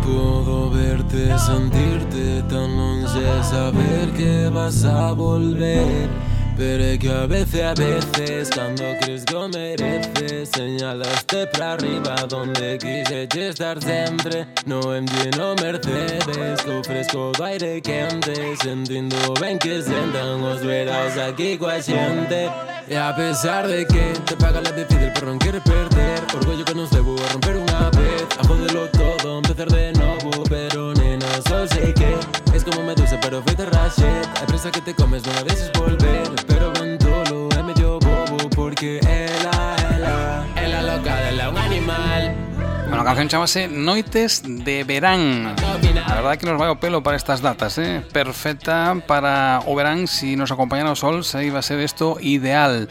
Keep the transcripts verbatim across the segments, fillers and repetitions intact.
Puedo verte, sentirte tan longe, saber que vas a volver. Pero es que a veces, a veces, cuando crees que mereces, señalaste para arriba donde quise estar siempre. No en lleno Mercedes, que ofrezco aire quente, sentindo ben que sentan os verás aquí coa xente. E a pesar de que te paga la difícil por non querer perder, orgullo que nos debo a romper unha vez, a jodelo todo, empezar de novo. Pero nena, só sei que es como medusa pero feita rachet. A presa que te comes non a deixes volver, pero Bantolo é medio bobo porque ela, ela, ela loca dela un animal. Bueno, a canción chamase Noites de Verán. A verdade que nos vai o pelo para estas datas, eh? Perfecta para o verán. Si nos acompaña o sol, se iba a ser isto ideal.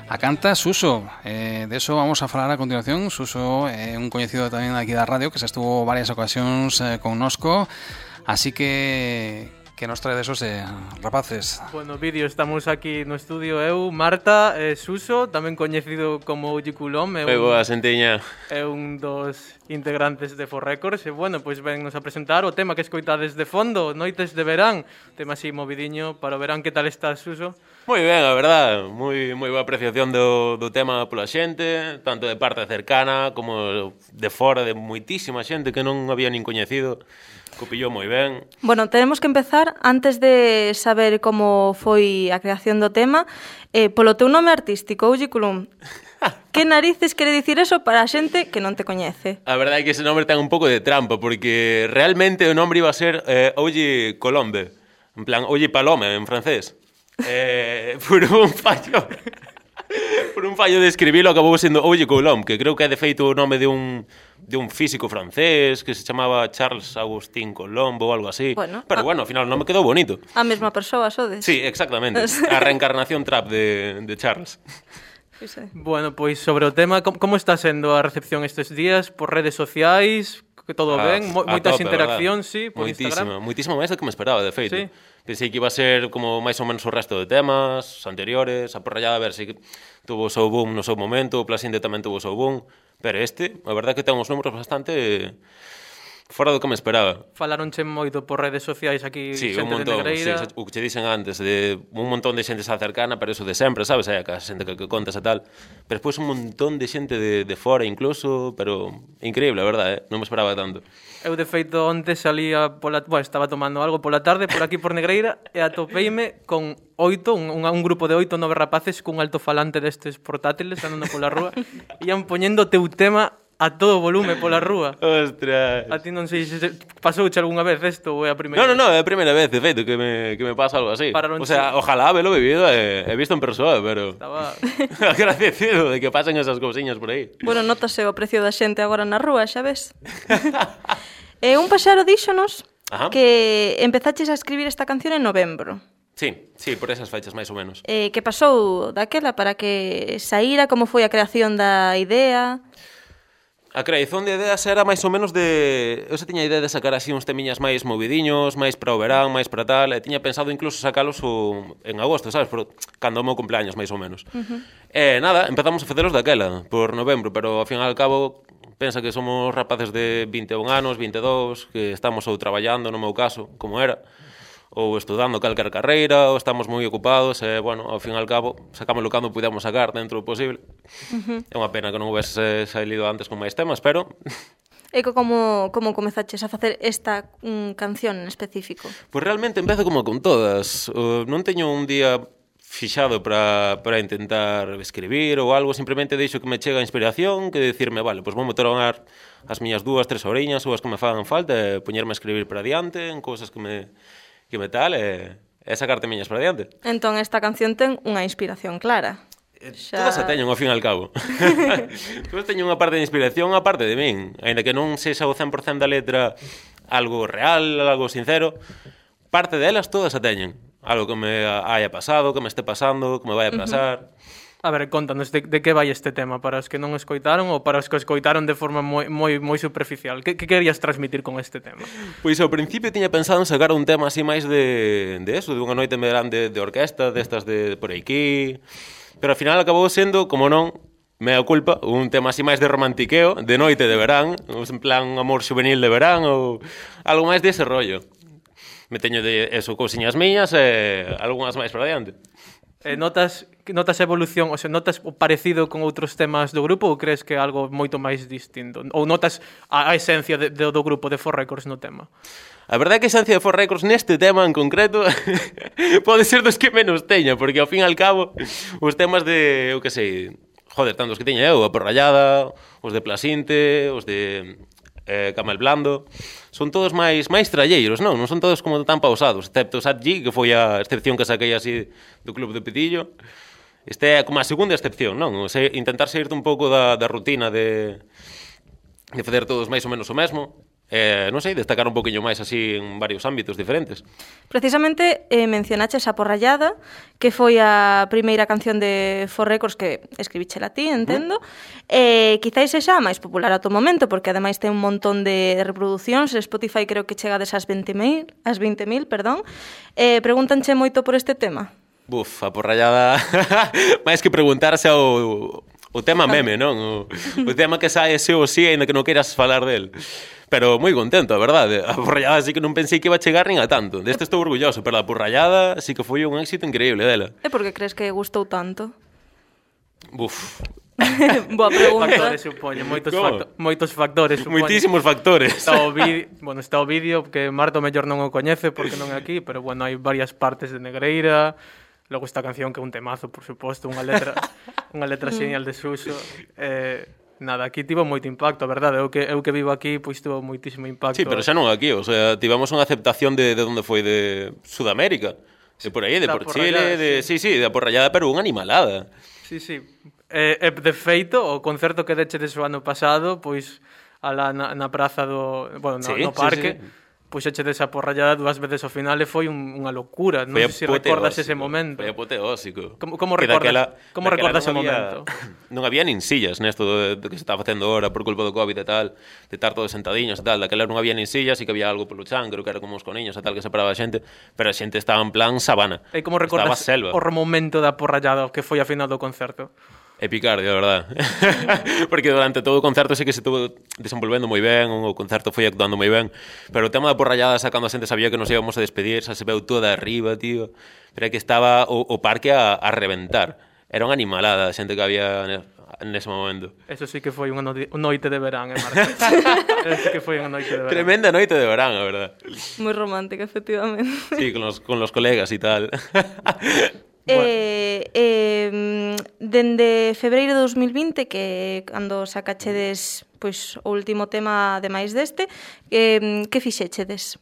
A canta Suso, eh, de eso vamos a falar a continuación. Suso é eh, un coñecido tamén aquí da radio que se estuvo varias ocasións eh, connosco. Así que... que nos trae de esos eh, rapaces. Bueno, vídeo, estamos aquí no estudio eu, Marta, eh, Suso, tamén coñecido como Uji Coulomb. Moi boa, Sentiña. É un dos integrantes de For Records. E, bueno, pois vennos a presentar o tema que escoitades de fondo, Noites de Verán. Tema así movidiño para o verán. Que tal estás, Suso? Moi ben, a verdad. Moi, moi boa apreciación do, do tema pola xente, tanto de parte cercana como de fora, de moitísima xente que non había nin coñecido. Copillou moi ben. Bueno, tenemos que empezar, antes de saber como foi a creación do tema, eh, polo teu nome artístico, Uji Coulomb. Que narices quere dicir eso para a xente que non te coñece? A verdade é que ese nome ten un pouco de trampa, porque realmente o nome iba a ser eh, Uji Coulomb. En plan, Uji Palome, en francés. Eh, por un fallo... por un fallo de escribilo acabou sendo Uji Coulomb, que creo que é de feito o nome de un... de un físico francés que se chamaba Charles Agustín Coulomb ou algo así. Bueno, pero a... bueno, ao final non me quedou bonito. A mesma persoa, sodes? Sí, exactamente. A reencarnación trap de, de Charles. Sí, sí. Bueno, pois sobre o tema, como, como está sendo a recepción estes días por redes sociais? Que todo ah, ben? Mo, moitas tope, interaccións, sí, por moitísima, Instagram. Moitísimo máis do que me esperaba, de feito. Sí. Pensei que iba a ser como máis ou menos o resto de temas anteriores, a porrallada a ver se tuvo o seu boom no seu momento, o Plasinde tamén tuvo o seu boom, pero este, a verdade que ten uns números bastante fora do que me esperaba. Falaronche moito por redes sociais aquí, sí, xente un montón, de Negreira. Sí, o que che dicen antes, de un montón de xente xa cercana, pero eso de sempre, sabes? Hai a xente que, que contas e tal. Pero despois un montón de xente de, de fora incluso, pero increíble, a verdade, eh? Non me esperaba tanto. Eu, de feito, onte salía pola... Bueno, estaba tomando algo pola tarde por aquí por Negreira e atopeime con oito, un, un grupo de oito, nove rapaces cun altofalante destes portátiles andando pola rúa e ian poñendo teu tema a todo volume pola rúa. Ostras. A ti non sei se pasouche algunha vez isto ou é a primeira? No, no, no, é a primeira vez, de feito, que me, que me pasa algo así. O sea, ojalá haberlo vivido e eh, visto en persoa, pero... Estaba... agradecido de que pasen esas cousiñas por aí. Bueno, notase o precio da xente agora na rúa, xa ves? E un paxaro díxonos Ajá. que empezaches a escribir esta canción en novembro. Sí, sí, por esas fechas, máis ou menos. Eh, que pasou daquela para que saíra? Como foi a creación da idea? A creación de ideas era máis ou menos de... Eu xa tiña a idea de sacar así uns temiñas máis movidiños, máis para o verán, máis para tal, e tiña pensado incluso sacalos o... en agosto, sabes? Por... cando o meu cumpleaños, máis ou menos. Uh-huh. E nada, empezamos a facelos daquela, por novembro, pero ao fin e ao cabo pensa que somos rapaces de vinte e un anos, vinte e dous, que estamos ou traballando, no meu caso, como era, ou estudando calquer carreira, ou estamos moi ocupados, e, bueno, ao fin e ao cabo, sacámoslo cando pudemos sacar dentro do posible. Uh-huh. É unha pena que non houvese salido antes con máis temas, pero... E como, como comezaches a facer esta um, canción en específico? Pois realmente empezo como con todas. Uh, non teño un día fixado para, para intentar escribir ou algo, simplemente deixo que me chega a inspiración, que decirme, vale, pois vou tomar as miñas dúas, tres oriñas ou as que me fagan falta e poñerme a escribir para diante en cousas que me... que me tal, e, e sacarte miñas para diante. Entón, esta canción ten unha inspiración clara. Xa... Todas a teñen, ao fin e ao cabo. Todas teñen unha parte de inspiración, unha parte de min. Ainda que non sexa o cen por cento da letra algo real, algo sincero, parte delas todas a teñen. Algo que me haya pasado, que me este pasando, que me vai a pasar... Uh-huh. A ver, contanos, de, de que vai este tema? Para os que non escoitaron ou para os que escoitaron de forma moi, moi, moi superficial? Que, que querías transmitir con este tema? Pois ao principio tiña pensado en sacar un tema así máis de, de eso, de unha noite en verán de, de orquesta, destas de por aquí, pero ao final acabou sendo, como non, mea culpa, un tema así máis de romantiqueo, de noite de verán, en plan amor juvenil de verán ou algo máis dese rollo. Me teño de eso, cousiñas miñas e algunhas máis para diante. Eh, notas notas a evolución, o sea, notas o parecido con outros temas do grupo ou crees que é algo moito máis distinto? Ou notas a, a esencia de, de, do grupo de Four Records no tema? A verdade é que a esencia de Four Records neste tema en concreto pode ser dos que menos teña, porque ao fin e al cabo os temas de, eu que sei, joder, tantos que teña eu, a Porrallada, os de Plasinte, os de eh, Camel Blando, son todos máis máis tralleiros, non? Non son todos como tan pausados, excepto Sat G, que foi a excepción que saquei así do Club de Pitillo. Este é como a segunda excepción, non? O sea, intentar saírte un pouco da, da rutina de, de fazer todos máis ou menos o mesmo. Eh, non sei, destacar un poquinho máis así en varios ámbitos diferentes. Precisamente eh, mencionaches a Porrallada, que foi a primeira canción de Four Records que escribichela ti, entendo. Uh-huh. Eh, quizáis sexa máis popular ata o momento, porque ademais ten un montón de reproduccións. Spotify creo que chega desas vinte mil, as vinte mil, perdón. Eh, pregúntanche moito por este tema? Buf, a Porrallada, máis que preguntarse ao... O tema meme, non? O, o tema que sae se ou si, ainda que non queiras falar del. Pero moi contento, a verdade. A Porrallada sí que non pensei que iba a chegar nin a tanto. Deste estou orgulloso, pero a Porrallada sí que foi un éxito increíble dela. E por que crees que gustou tanto? Buf. Boa pregunta. Factores, supoño, moitos, facto moitos factores, supoño. Moitísimos factores. Está o vídeo, bueno, está o vídeo que Marta mellor non o coñece porque non é aquí, pero bueno, hai varias partes de Negreira. Logo esta canción que é un temazo, por suposto, unha letra unha letra xenial de Suso. Eh, nada, aquí tivo moito impacto, a verdade. Eu que, eu que vivo aquí, pois tivo moitísimo impacto. Sí, pero xa non aquí, o sea, tivemos unha aceptación de, de onde foi, de Sudamérica. De por aí, de por Chile, de... Sí, sí, de a Porrallada, pero unha animalada. Sí, sí. Eh, eh, de feito, o concerto que dechedes o ano pasado, pois, alá na, na praza do... Bueno, no, sí, no parque... Sí, sí. Pois eche desa Porrallada dúas veces ao final e foi un, unha locura. Non sei se si recordas ese momento. Foi apoteósico. Como, como recordas, daquela, como recordas ese había, momento? Non había nin sillas nesto de, de que se estaba facendo ahora por culpa do COVID e tal, de estar todos sentadiños e tal. Daquela non había nin sillas e que había algo polo chan, creo que era como os coniños e tal, que separaba a xente, pero a xente estaba en plan sabana. E como recordas o momento da Porrallada que foi a final do concerto? É picardia, a verdade. Porque durante todo o concerto sí que se estuvo desenvolvendo moi ben, o concerto foi actuando moi ben, pero o tema da Porrallada sacando a xente sabía que nos íbamos a despedir, xa se veu toda arriba, tío. Pero é que estaba o, o parque a, a reventar. Era unha animalada a xente que había nese momento. Eso sí que foi unha no noite de verán, eh, Marta? Eso sí que foi unha noite de verán. Tremenda noite de verán, a verdade. Moi romántica, efectivamente. Sí, con los, con los colegas e tal. Bueno. Eh, eh, dende febreiro de dos mil vinte, que cando sacachedes pois, o último tema ademais deste, eh, que fixechedes?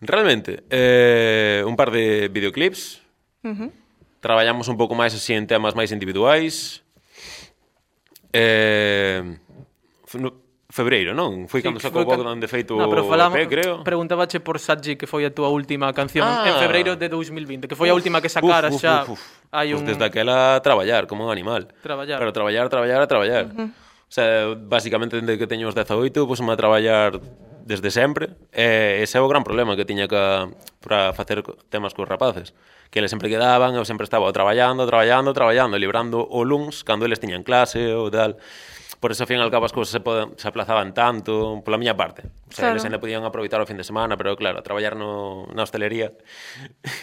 Realmente, eh, un par de videoclips. Uh-huh. Traballamos un pouco máis así en temas máis individuais. Eh, no, febreiro, non? Foi sí, cando sacou o Bogdan de feito no, o E P, creo. Preguntabache por Satji, que foi a túa última canción ah. en febreiro de dos mil vinte, que foi uf, a última que sacaras uf, uf, xa. Uf, uf. Hai un... Pues desde aquela traballar como un animal. Traballar. Pero traballar, traballar, a traballar. Uh-huh. O sea, basicamente, desde que teño os dezaoito, pues, a traballar desde sempre. E ese é o gran problema que tiña que, para facer temas cos rapaces. Que eles sempre quedaban, eu sempre estaba traballando, traballando, traballando, librando o luns, cando eles tiñan clase ou tal. Por eso, ao fin e al cabo, as cousas se, poden, se aplazaban tanto, pola miña parte. O sea, claro. Eles ainda podían aproveitar o fin de semana, pero claro, traballar no, na hostelería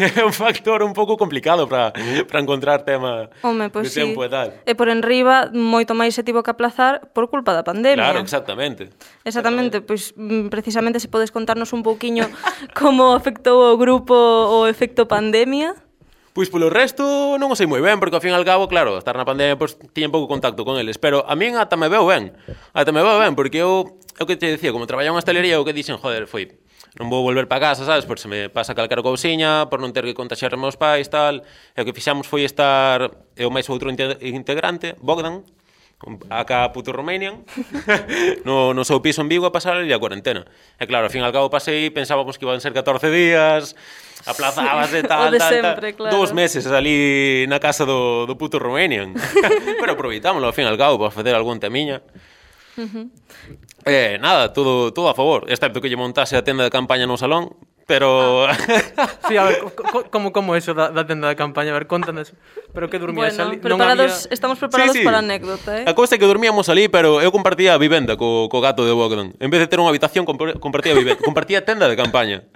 é un factor un pouco complicado para encontrar tema Home, pues de sí. tempo e tal. E por enriba, moito máis se tivo que aplazar por culpa da pandemia. Claro, exactamente. Exactamente, pois pues, precisamente se podes contarnos un pouquiño como afectou o grupo o efecto pandemia. Pois polo resto non o sei moi ben, porque ao fin e al cabo, claro, estar na pandemia, pois tiña pouco contacto con eles, pero a min ata me veo ben, ata me veo ben, porque eu, eu que te dicía, como traballaba en hostelería, o que dixen, joder, foi, non vou volver para casa, sabes, por se me pasa calcar cousiña, por non ter que contaxiar os meus pais, tal, e o que fixamos foi estar, eu máis outro integrante, Bogdan, acá puto Romanian, no, no seu piso en Vigo a pasar a cuarentena. E claro, ao fin e al cabo pasei, pensábamos que iban ser catorce días, aplazábase sí, tal, tal, sempre, tal. Claro. Dous meses ali na casa do, do puto Romanian. Pero aproveitámoslo ao fin e al cabo para facer algún temiña. Uh-huh. Eh, nada, todo, todo a favor, excepto que lle montase a tenda de campaña no salón, Pero... Sí, a ver, co- como como eso da, da tenda de campaña? A ver, contanos. Pero que dormías Bueno, ali? preparados, había... estamos preparados Sí, sí. para a anécdota, eh? A cousa é que dormíamos ali, pero eu compartía a vivenda co, co gato de Bogdan. En vez de ter unha habitación, compar- compartía a vivenda, compartía a tenda de campaña.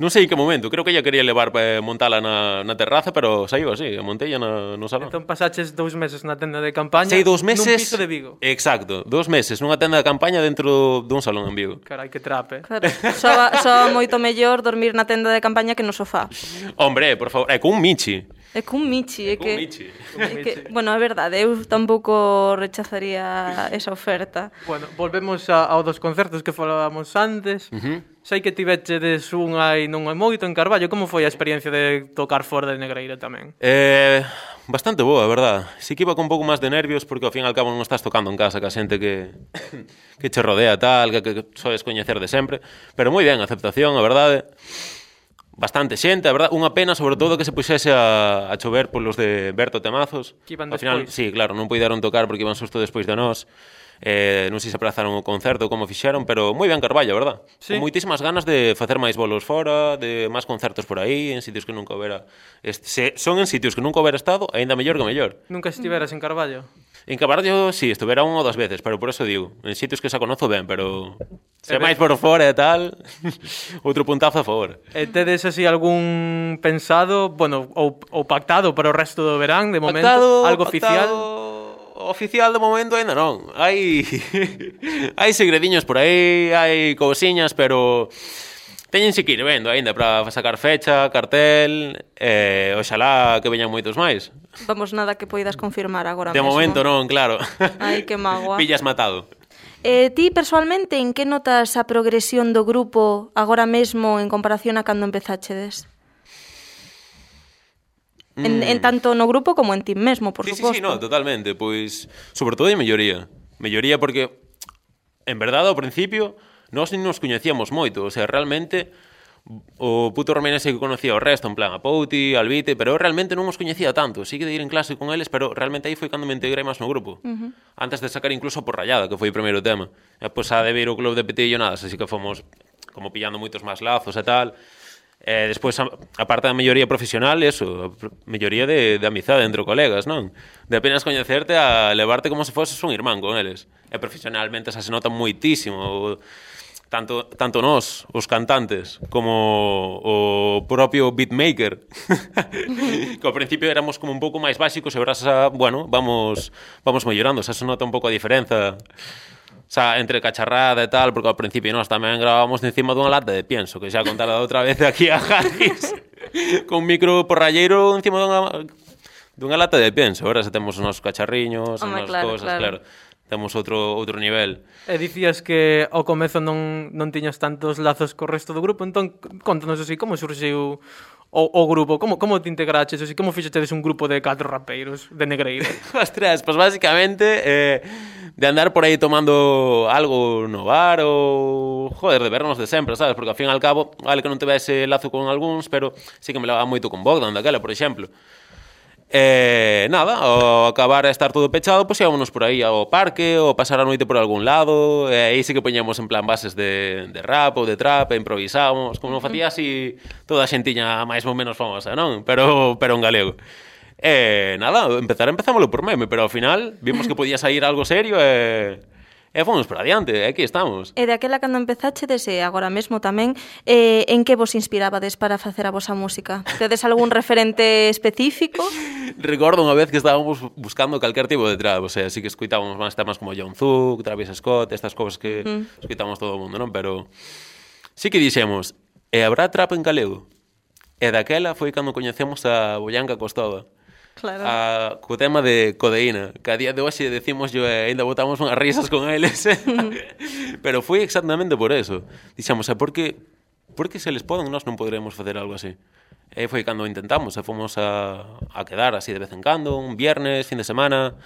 Non sei en que momento, creo que ella quería levar para montala na, na terraza, pero saiu así, montella na, no salón. Entón pasaches dous meses na tenda de campaña Sei dous meses... nun piso de Vigo. Exacto, dous meses nunha tenda de campaña dentro dun salón en Vigo. Carai, que trape. Claro, soa, soa moito mellor dormir na tenda de campaña que no sofá. Hombre, por favor, é con un Michi. É cun Michi, é Cun que... Michi. É que, bueno, é verdade, eu tampouco rechazaría esa oferta. Bueno, volvemos a, ao dos concertos que falábamos antes. Uh-huh. Sei que tivechedes un hai non hai moito en Carballo. Como foi a experiencia de tocar fora de Negreira tamén? Eh, bastante boa, a verdad. Si que iba con un pouco máis de nervios porque ao fin e ao cabo non estás tocando en casa ca xente que que che rodea tal, que, que soes coñecer de sempre, pero moi ben, aceptación, a verdade. Bastante xente, a verdade, unha pena sobre todo que se puxese a, a chover polos de Berto Temazos. Que iban Ao final, despois. sí, claro, non puideron tocar porque iban xusto despois de nós. Eh, non sei se aprazaron o concerto como fixeron, pero moi ben Carballo, a verdad? Sí. Con moitísimas ganas de facer máis bolos fora, de máis concertos por aí, en sitios que nunca houbera... Este, se son en sitios que nunca houbera estado, aínda mellor que mellor. Nunca estiveras en Carballo? En Carballo, sí, estuvera unha ou dos veces, pero por eso digo, en sitios que xa conozo ben, pero... Se E máis ben. por fora e tal, outro puntazo a favor. E tedes así algún pensado, bueno, ou, ou pactado para o resto do verán, de momento? Pactado, algo pactado, oficial? Oficial de momento ainda non. Hai hai segredinhos por aí, hai cousiñas, pero teñense que ir vendo aínda para sacar fecha, cartel, e oxalá que veñan moitos máis. Vamos, nada que poidas confirmar agora De mesmo. momento non, claro. Ai, que magua. Pillas matado. Eh, ti, persoalmente, en que notas a progresión do grupo agora mesmo en comparación a cando empezáchedes? Mm. En, en tanto no grupo como en ti mesmo, por sí, suposto. Sí, sí, no, totalmente. Pois, sobre todo, de melloría. Melloría porque, en verdade, ao principio, nós non nos coñecíamos moito. O sea, realmente, o puto Romenese que conocía o resto, en plan, a Pouti, a Albite, pero eu realmente non os coñecía tanto. Sí que de ir en clase con eles, pero realmente aí foi cando me integrei máis no grupo. Uh-huh. Antes de sacar incluso por Rayada, que foi o primeiro tema. E, pois, a de vir o club de Petillo, nada, así que fomos como pillando moitos máis lazos e tal. E despois, a, a parte da melloría profesional, eso, a melloría de, de amizade entre colegas, non? De apenas coñecerte a levarte como se foses un irmán con eles. E profesionalmente xa se nota moitísimo, tanto, tanto nós, os cantantes, como o propio beatmaker, que ao principio éramos como un pouco máis básicos e agora xa, bueno, vamos, vamos mellorando, xa se nota un pouco a diferenza. O sea, entre cacharrada e tal, porque ao principio nós tamén gravábamos de encima dunha lata de pienso, que xa contara outra vez aquí a Jarris, con un micro porralleiro encima dunha, dunha lata de pienso. Agora xa temos os nosos cacharriños, as Home, nosas claro, cosas, claro. claro. Temos outro outro nivel. E dicías que ao comezo non, non tiñas tantos lazos co resto do grupo, entón contanos así, como surxiu o, o grupo, como, como te integraches, así, como fixetedes un grupo de catro rapeiros de Negreira? Ostras, pues básicamente eh, de andar por aí tomando algo no bar ou, joder, de vernos de sempre, sabes? Porque ao fin e al cabo, vale que non tivese lazo con algúns, pero sí que me levaba moito con Bogdan daquela, por exemplo. E nada, ao acabar a estar todo pechado, pois íbamos por aí ao parque ou pasar a noite por algún lado, e aí sí que poñamos en plan bases de, de rap ou de trap, e improvisábamos, como non facía así toda a xentiña máis ou menos famosa, non? Pero, pero en galego. E nada, empezar empezámoslo por meme, pero ao final vimos que podía sair algo serio e... E fomos para adiante, e aquí estamos. E de aquela cando empezachedes e agora mesmo tamén, eh, en que vos inspirabades para facer a vosa música? Tedes algún referente específico? Recordo unha vez que estábamos buscando calquer tipo de trap, o sea, sí que escutábamos máis temas como Young Thug, Travis Scott, estas cousas que mm. escuitamos todo o mundo, non? Pero sí que dixemos, e habrá trap en galego? E daquela foi cando coñecemos a Boyanca Costova. Claro. A, co tema de codeína, que a día de hoxe decimos yo e ainda botamos unhas risas con eles. Pero foi exactamente por eso. Dixemos, e por que, por que se les poden nós non poderemos facer algo así? E foi cando intentamos, e fomos a, a quedar así de vez en cando, un viernes, fin de semana,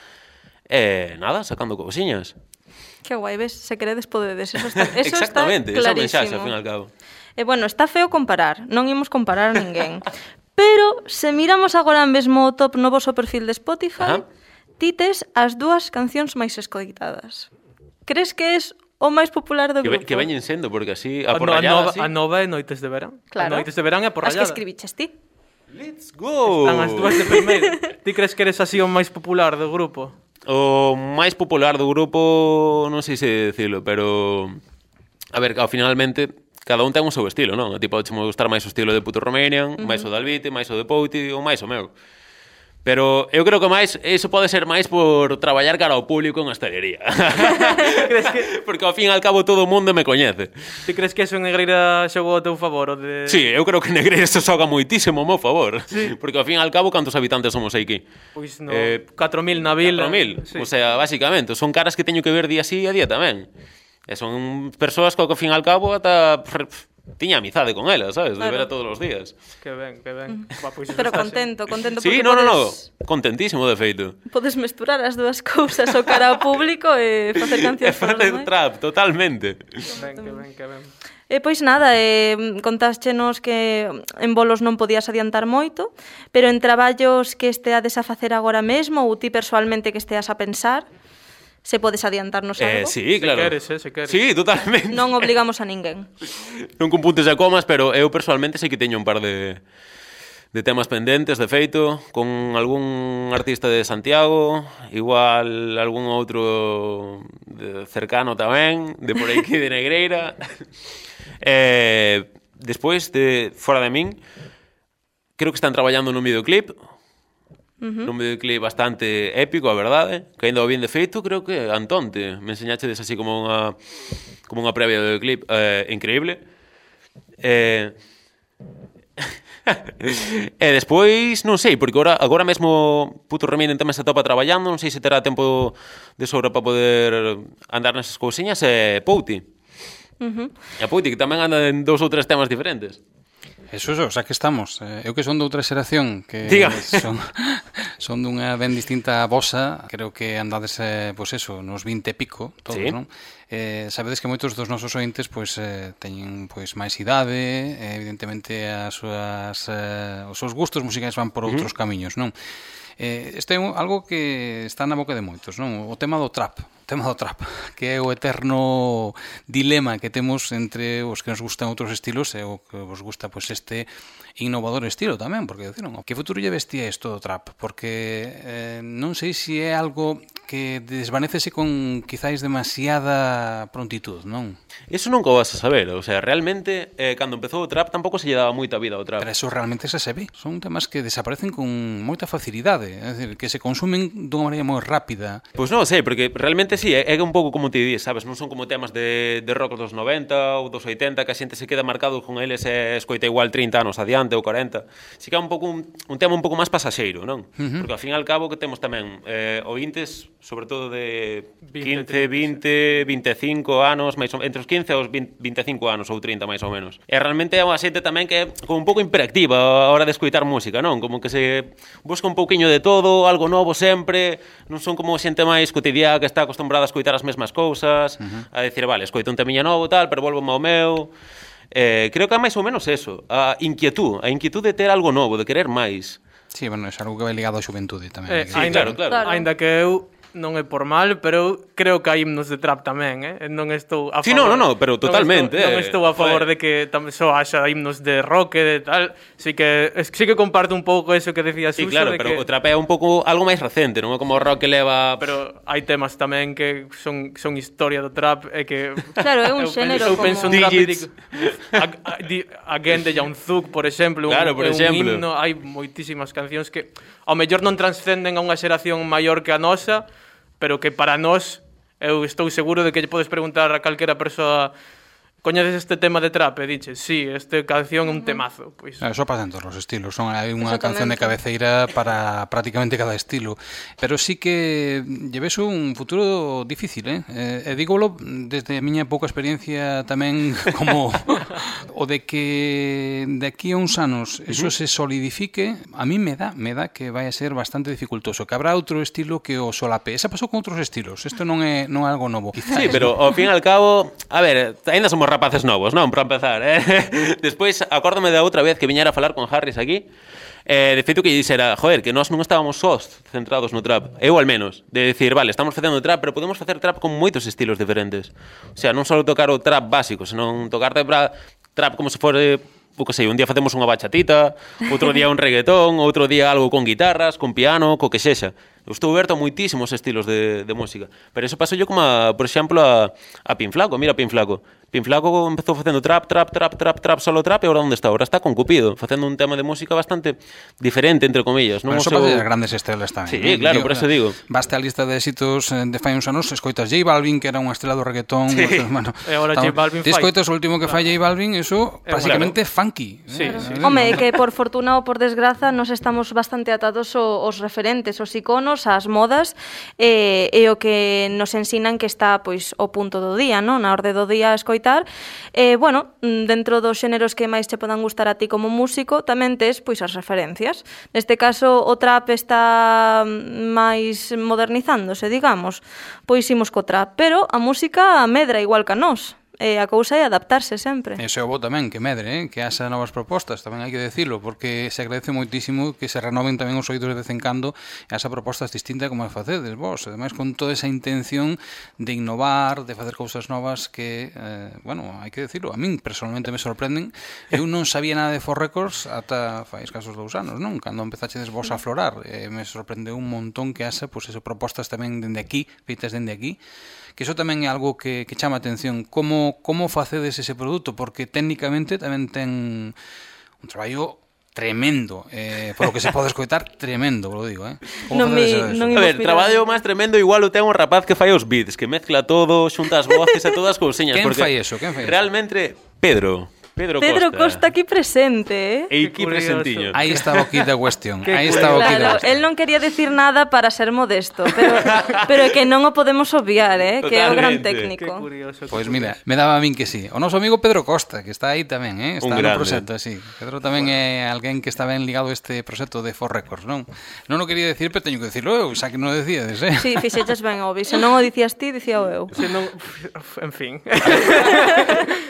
e nada, sacando cousiñas. Que guai, ves? Se queredes podedes, eso está, eso exactamente, está clarísimo. esa mensaxe, ao fin e al cabo. E bueno, está feo comparar, non imos comparar a ninguén. Pero, se miramos agora mesmo o top no voso perfil de Spotify, Ajá. ti tes as dúas cancións máis escoitadas. Crees que es o máis popular do Que, grupo? ve, que veñen sendo, porque así, A, a no, a, porrallada, nova, así... a nova é Noites de Verán. Claro. A Noites de Verán é a As porrallada. que escribiches ti. Let's go! Están as dúas de primeiro. Ti crees que eres así o máis popular do grupo? O máis popular do grupo, non sei se dicilo, pero... A ver, ao finalmente, cada un ten o seu estilo, non? Tipo, pode gustar máis o estilo de Puto Romanian, uh-huh. máis o de Albite, máis o de Pouti, ou máis o meu. Pero eu creo que máis, iso pode ser máis por traballar cara ao público en hostelería. Crees que... Porque ao fin e al cabo todo o mundo me coñece. Ti crees que eso en Negreira xogou ao teu favor? O de... Sí, eu creo que Negreira se xoga moitísimo ao meu favor. Sí. Porque ao fin e al cabo, cantos habitantes somos aquí? Pois no, Eh, catro mil na vila. catro mil, Sí. o sea, basicamente, son caras que teño que ver día sí e día tamén. E son persoas que ao fin e al cabo ata pff, tiña amizade con elas, sabes? De Claro. ver a todos os días. Que ben, que ben. Va, pois eso Pero está, contento, contento Sí, porque no, no, no, podes, contentísimo de feito. podes mesturar as dúas cousas, o cara ao público e facer E cancións para os facer demais. trap, totalmente. Sí. Que ben, que ben, que ben. E pois nada, eh, contáschenos que en bolos non podías adiantar moito, pero en traballos que esteades a facer agora mesmo ou ti persoalmente que esteas a pensar, se podes adiantarnos Eh, algo? sí, Se claro. queres, eh, se queres. Sí, totalmente. Non obligamos a ninguén. Non con puntos e comas, pero eu personalmente sei que teño un par de, de temas pendentes, de feito, con algún artista de Santiago, igual algún outro de cercano tamén, de por aquí de Negreira. eh, despois, de fora de min, creo que están traballando nun videoclip, Uh-huh. Un videoclip bastante épico, a verdade, que ainda o bien de feito, creo que Antonte me enseñachedes así como unha como unha previa do videoclip eh, increíble. Eh... e despois, non sei, porque agora, agora mesmo Puto Reminen tamén se atopa traballando, non sei se terá tempo de sobra para poder andar nesas cousiñas, e Pouti. Uh-huh. E a Pouti, que tamén anda en dous ou tres temas diferentes. Eso, eso, o sea que estamos. Eh, eu que son de outra xeración que Diga. son, son dunha ben distinta a vosa. Creo que andades, eh, pois eso, nos vinte e pico, todos, Sí. non? Eh, sabedes que moitos dos nosos ointes pois, eh, teñen pois máis idade, eh, evidentemente as súas, eh, os seus gustos musicais van por outros uh-huh. camiños, non? Eh, este é un, algo que está na boca de moitos, non? O tema do trap. O tema do trap, que é o eterno dilema que temos entre os que nos gustan outros estilos e o que vos gusta pois este innovador estilo tamén, porque deciron, que futuro lle vestía isto do trap? Porque eh, non sei se é algo que desvanécese con quizáis demasiada prontitud, non? Eso nunca o vas a saber, o sea, realmente eh, cando empezou o trap tampouco se lle daba moita vida ao trap. Pero eso realmente se se ve. Son temas que desaparecen con moita facilidade, é dicir, que se consumen dunha maneira moi rápida. Pois non sei, porque realmente sí, é un pouco como te di, sabes, non son como temas de, de rock dos noventa ou dos oitenta que a xente se queda marcado con eles e escoita igual trinta anos adiante ou corenta. Si que é un pouco un, un tema un pouco máis pasaxeiro, non? Uh-huh. Porque ao fin e al cabo que temos tamén eh, ointes, sobre todo de quince, vinte, vinte e cinco anos, máis ou, entre os quince e os vinte e cinco anos ou trinta máis ou menos. E realmente é unha xente tamén que é como un pouco hiperactiva a hora de escoitar música, non? Como que se busca un pouquiño de todo, algo novo sempre, non son como xente máis cotidiana que está acostumbrada a escoitar as mesmas cousas, uh-huh. a decir, vale, escoito un temiña novo tal, pero volvo ao meu. Eh, creo que é máis ou menos eso, a inquietud, a inquietud de ter algo novo, de querer máis. Sí, bueno, é algo que vai ligado á xuventude tamén. Eh, Sí, ainda, claro, claro. Claro. Ainda que eu non é por mal, pero creo que hai himnos de trap tamén, eh? Non estou a favor. Sí, no, no, no, pero totalmente, Non estou, non eh, estou a favor joder. de que tamén só haxa himnos de rock e de tal. Sí que sí que comparto un pouco eso que decía Sí, Suso, claro, de pero que o trap é un pouco algo máis recente, non é como o rock que leva... pero hai temas tamén que son son historia do trap e que Claro, é un eu xénero penso, eu como- penso en trap e Digits. digo, a- a- di- Again de Young Thug, por exemplo, Claro, un, por un exemplo. himno, hai moitísimas cancións que ao mellor non transcenden a unha xeración maior que a nosa, pero que para nós eu estou seguro de que lle podes preguntar a calquera persoa: coñeces este tema de trap? E diches, sí, esta canción é un temazo. Pois, Eso pasa en todos os estilos. Son hai unha Exactamente. canción de cabeceira para prácticamente cada estilo. Pero sí que lleves un futuro difícil, eh? E dígolo desde a miña pouca experiencia tamén como o de que de aquí a uns anos eso se solidifique, a mí me dá, me dá que vai a ser bastante dificultoso, que habrá outro estilo que o solape. Esa pasou con outros estilos. Isto non é non é algo novo. Sí, pero ao fin e al cabo, a ver, ainda somos rapaces novos, non? Para empezar, eh? Despois, acórdame da outra vez que viñera a falar con Harris aquí, eh, de feito que dixera, joder, que nós non estábamos sós centrados no trap, eu al menos, de decir, vale, estamos facendo trap, pero podemos facer trap con moitos estilos diferentes. O sea, non só tocar o trap básico, senón tocar trap como se fore, o que sei, un día facemos unha bachatita, outro día un reggaetón, outro día algo con guitarras, con piano, co que sexa. Eu estou aberto a moitísimos estilos de, de música. Pero eso pasou yo como, a, por exemplo, a, a Pin Flaco. Mira Pin Flaco. Pin Flaco empezou facendo trap, trap, trap, trap, trap, solo trap, e agora onde está? Agora está con Cupido, facendo un tema de música bastante diferente, entre comillas. Non bueno, eso seu... pasa de grandes estrelas tamén. Sí, ¿no? claro, digo, por eso digo. Baste a lista de éxitos de fai uns anos, escoitas J Balvin, que era unha estrela do reggaetón. Sí. O sea, bueno, e agora J Balvin fai. Te fai. escoitas o último que fai J Balvin, eso, básicamente claro. funky. Sí, eh, sí. eh, Home, que por fortuna ou por desgraza nos estamos bastante atados aos referentes, aos iconos, ás modas, e, e o que nos ensinan que está pois o punto do día, non? Na orde do día a escoitar. E, bueno, dentro dos xéneros que máis che podan gustar a ti como músico, tamén tes pois as referencias. Neste caso, o trap está máis modernizándose, digamos. Pois imos co trap, pero a música medra igual que a nós. E a cousa é adaptarse sempre. Eso é o bo tamén, que medre, eh? Que haxa novas propostas, tamén hai que decirlo, porque se agradece moitísimo que se renoven tamén os oídos de vez en cando e haxa propostas distintas como a facedes vos, ademais con toda esa intención de innovar, de facer cousas novas que, eh, bueno, hai que decirlo, a min personalmente me sorprenden. Eu non sabía nada de For Records ata fai escasos dous anos, non? Cando empezachedes vos a aflorar, eh, me sorprendeu un montón que haxa, pois, eso, propostas tamén dende aquí, feitas dende aquí, que iso tamén é algo que, que chama a atención. Como, como facedes ese produto? Porque técnicamente tamén ten un traballo tremendo, eh, por lo que se pode escoitar, tremendo, lo digo, eh? Non me, non A ver, traballo máis tremendo igual o ten un rapaz que fai os beats, que mezcla todo, xunta as voces e todas as cousiñas. Quen porque fai eso? Quen fai eso? Realmente, Pedro. Pedro, Pedro Costa. Costa aquí presente, eh? E aquí presentiño. Aí estaba o kit da cuestión. Qué Aí estaba o kit da Claro, cuestión. él non quería decir nada para ser modesto, pero, pero é que non o podemos obviar, eh? Que é o gran Totalmente. Que técnico. curioso. Pois pues mira, me daba a min que sí. O noso amigo Pedro Costa, que está aí tamén, eh? Está Un no grande. proxecto, sí. Pedro tamén é alguén que está ben ligado a este proxecto de For Records, non? Non o quería decir, pero teño que decirlo eu, xa que non o decíades, eh? Sí, fixeches ben, obvi. Se non o dicías ti, dicía eu. Se non, en fin.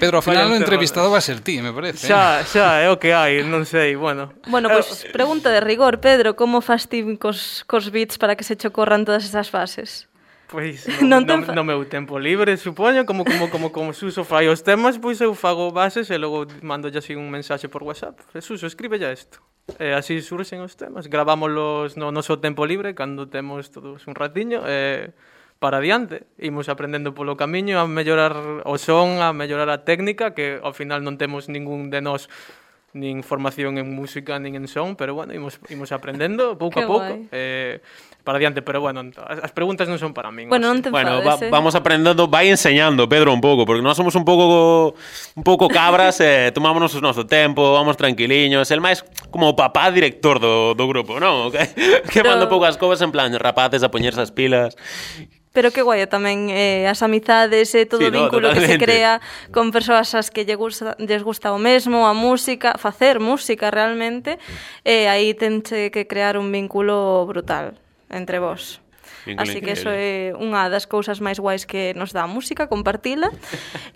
Pedro, ao final Vaya o entrevistado encerrada. va a ser ti, me parece. Xa, xa, é o que hai, non sei, bueno. Bueno, pois pues, pregunta de rigor, Pedro, como fas ti cos, cos beats para que se che ocorran todas esas fases? Pois Non no, ten no, fa- no meu tempo libre, supoño, como como como como Suso fai os temas, pois eu fago bases e logo mando así un mensaxe por WhatsApp. Suso, escribe ya isto. E así surxen os temas. Gravámoslos no noso tempo libre cando temos todos un ratiño e para adiante. Imos aprendendo polo camiño a mellorar o son, a mellorar a técnica, que ao final non temos ningún de nós nin formación en música nin en son, pero bueno, imos, imos aprendendo pouco Que a pouco guai. eh, para adiante, pero bueno, as, as preguntas non son para min. Bueno, non te Bueno, enfades, va, eh? vamos aprendendo, vai enseñando Pedro un pouco, porque nós somos un pouco un pouco cabras, eh, tomámonos o noso tempo, vamos tranquiliños, el máis como o papá director do, do grupo, non? Que, que Pero- manda poucas covas en plan rapaces a poñerse as pilas. Pero que guai tamén eh, as amizades e todo Sí, o no, vínculo que se totalmente. crea con persoas as que lle gusta, lles gusta o mesmo, a música, facer música realmente, e aí tenche que crear un vínculo brutal entre vós. Vínculo Así que eso increíble. é unha das cousas máis guais que nos dá a música, compartila.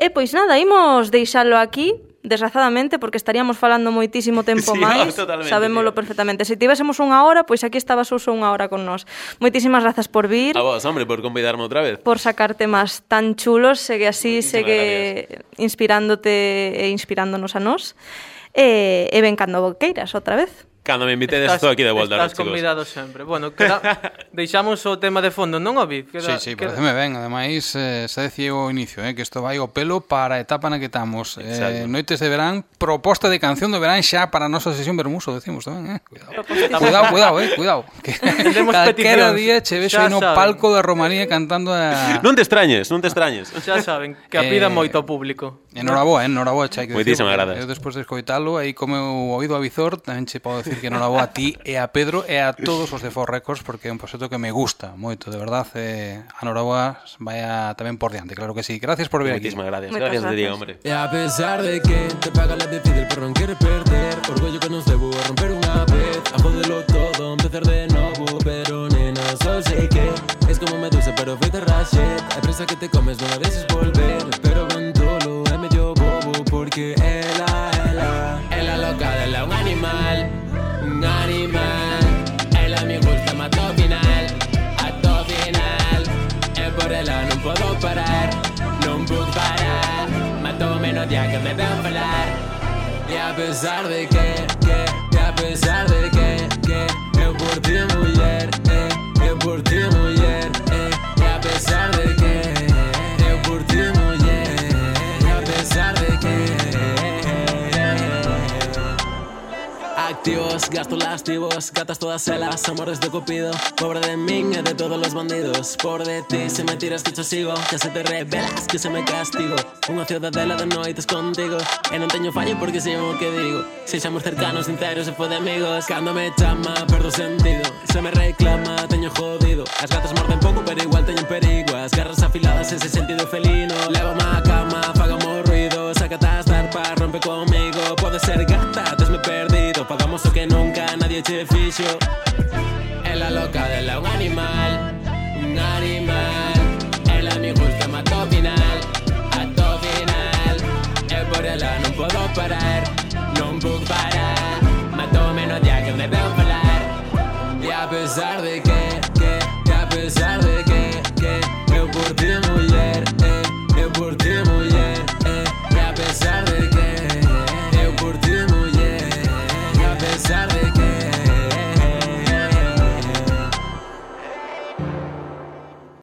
E pois nada, imos deixalo aquí, desgrazadamente, porque estaríamos falando moitísimo tempo Sí, no, máis, totalmente, sabémolo tío. perfectamente. Se tivésemos unha hora, pois aquí estaba Suso unha hora con nós. Moitísimas grazas por vir, A vos, hombre, por convidarme outra vez. por sacar temas tan chulos, segue así, Moitísimas segue inspirándote e inspirándonos a nós. E, e ven cando queiras outra vez. Cando me invitedes estou aquí de volta, estás chicos. convidado sempre. Bueno, queda, deixamos o tema de fondo, non o vi? Queda, Sí, sí, queda... pareceme ben. Ademais, eh, xa decía ao inicio, eh, que isto vai ao pelo para a etapa na que estamos. Eh, Exacto. noites de verán, proposta de canción de verán xa para a nosa sesión Bermuso, decimos tamén, eh. Cuidado, Propostísimo. cuidado, cuidado, eh, cuidado. Que Temos calquera peticións. día che vexo Xa aí no saben. palco da Romaría cantando a... Non te extrañes, non te extrañes. Xa saben, que a pida Eh, moito ao público. Enhoraboa, eh, enhoraboa, xa hai que decir. Moitísimas porque grazas. Eu despois de escoitalo, aí como eu oído a Vizor, tamén che podo decir que enhoraboa a ti e a Pedro e a todos os de For Records, porque é un proxecto que me gusta moito, de verdad. Eh, enhoraboa, vaya tamén por diante, claro que sí. Gracias por vir aquí. Moitísimas gracias. Moitas Gracias de día, gracias. hombre. Y a pesar de que te paga la decide el perro no quiere perder orgullo que nos debo a romper una vez a joderlo todo, empezar de nuevo pero nena, solo sé que es como Medusa pero feita rachet hay presa que te comes no a veces volver pero con todo lo es medio bo porque ela, ela Ela loca dela un animal, un animal Ela me gusta mato final, ato final E por ela non podo parar, non puc parar Mato menos día que me veo falar E a pesar de que, que, e a pesar de que, que Eu por ti muller, eh, eu por ti muller, eh E a pesar de que, eu por ti muller E a pesar de que Activos, gasto lastivos, gatas todas elas, amores de Cupido Pobre de min e de todos los bandidos Por de ti, se me tiras que cho sigo Que se te revelas, que se me castigo Unha ciudadela de noites contigo E non teño fallo porque sei o que digo Seixamos cercanos, sinceros e fue de amigos Cando me chama, perdo sentido Se me reclama, teño jodido As gatas morden pouco, pero igual teño perigo As garras afiladas, ese sentido felino Lévame a cama, fagamos ruido Sácate as tarpas, rompe comigo Pode ser gata, tesme perdido Pagamos o que nunca nadie che fixo Ela loca dela un animal, un animal Ela me gusta mato final, ato final E por ela non podo parar